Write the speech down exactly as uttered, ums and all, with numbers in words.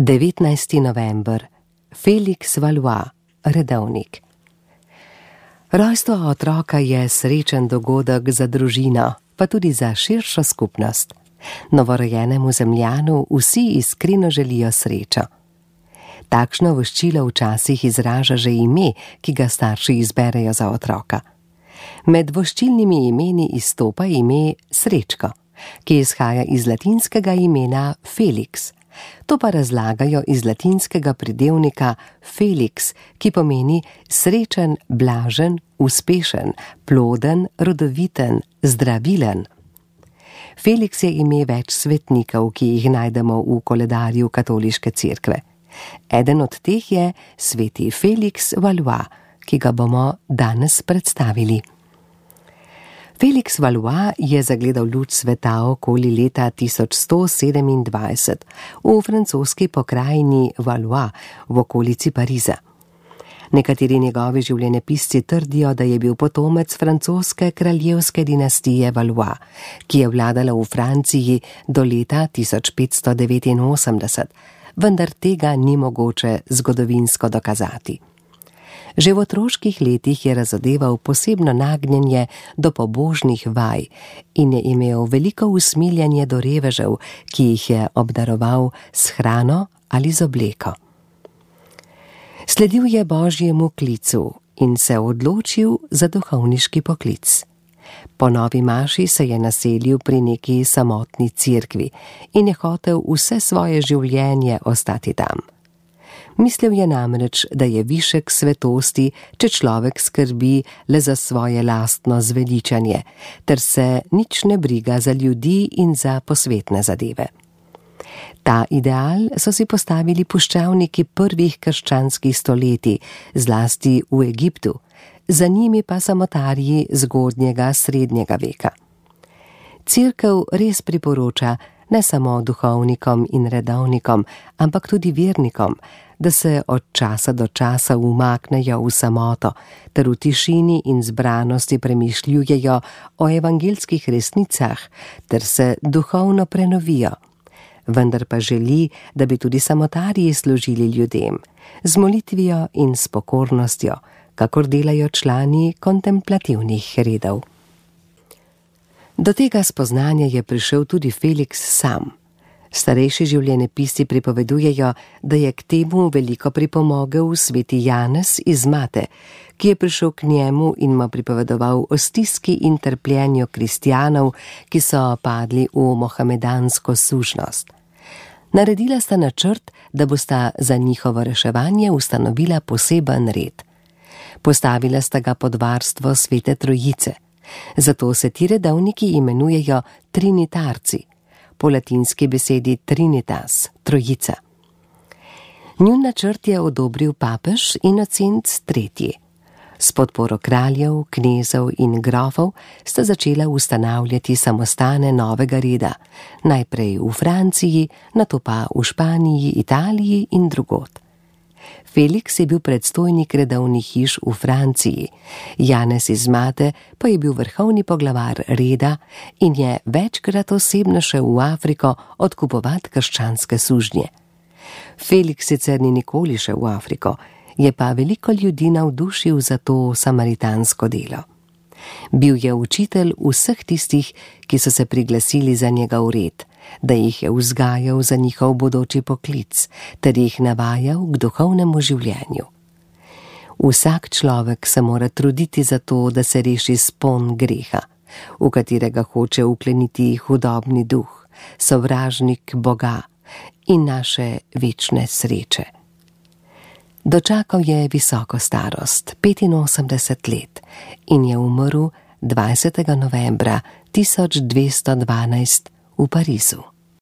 devetnajsti november. Félix Valois, redovnik. Rojstvo otroka je srečen dogodek za družino, pa tudi za širšo skupnost. Novorojenemu Zemljanu vsi iskreno želijo srečo. Takšno voščilo včasih izraža že ime, ki ga starši izberejo za otroka. Med voščilnimi imeni izstopa ime Srečko, ki izhaja iz latinskega imena Felix. To pa razlagajo iz latinskega pridevnika felix, ki pomeni srečen, blažen, uspešen, ploden, rodoviten, zdravilen. Felix je ime več svetnikov, ki jih najdemo v koledarju katoliške cerkve. Eden od teh je sveti Félix Valois, ki ga bomo danes predstavili. Félix Valois je zagledal luč sveta okoli leta tisoč sto sedemindvajset v francoski pokrajini Valois v okolici Pariza. Nekateri njegovi življenjepisci trdijo, da je bil potomec francoske kraljevske dinastije Valois, ki je vladala v Franciji do leta tisoč petsto devetinosemdeset, vendar tega ni mogoče zgodovinsko dokazati. Že v otroških letih je razodeval posebno nagnjenje do pobožnih vaj in je imel veliko usmiljanje do revežev, ki jih je obdaroval s hrano ali z obleko. Sledil je Božjemu klicu in se odločil za duhovniški poklic. Po novi maši se je naselil pri neki samotni cerkvi in je hotel vse svoje življenje ostati tam. Mislil je namreč, da je višek svetosti, če človek skrbi le za svoje lastno zveličanje, ter se nič ne briga za ljudi in za posvetne zadeve. Ta ideal so si postavili puščavniki prvih krščanskih stoletij, zlasti v Egiptu, za njimi pa samotarji zgodnjega srednjega veka. Cerkev res priporoča ne samo duhovnikom in redovnikom, ampak tudi vernikom, da se od časa do časa umaknejo v samoto, ter v tišini in zbranosti premišljujejo o evangelskih resnicah, ter se duhovno prenovijo. Vendar pa želi, da bi tudi samotarji služili ljudem, z molitvijo in s pokornostjo, kakor delajo člani kontemplativnih redov. Do tega spoznanja je prišel tudi Félix sam. Starejši življenjepisci pripovedujejo, da je k temu veliko pripomogel sveti Janez iz Mate, ki je prišel k njemu in mu pripovedoval o stiski in trpljenju kristjanov, ki so padli v mohamedansko sužnost. Naredila sta načrt, da bosta za njihovo reševanje ustanovila poseben red. Postavila sta ga pod varstvo svete Trojice. Zato se ti redovniki imenujejo trinitarci, po latinski besedi trinitas, trojica. Njun načrt je odobril papež Inocent tretji. S podporo kraljev, knezov in grofov sta začela ustanavljati samostane novega reda, najprej v Franciji, nato pa v Španiji, Italiji in drugod. Felix je bil predstojnik redovnih hiš v Franciji, Janez iz Mate pa je bil vrhovni poglavar reda in je večkrat osebno šel v Afriko odkupovati krščanske sužnje. Felix sicer ni nikoli šel v Afriko, je pa veliko ljudi navdušil za to samaritansko delo. Bil je učitelj vseh tistih, ki so se priglasili za njegov red, da jih je vzgajal za njihov bodoči poklic, ter jih navajal k duhovnemu življenju. Vsak človek se mora truditi za to, da se reši spon greha, v katerega hoče ukleniti hudobni duh, sovražnik Boga in naše večne sreče. Dočakal je visoko starost, petinosemdeset let, in je umrl dvajsetega novembra tisoč dvesto dvanajst v Parizu.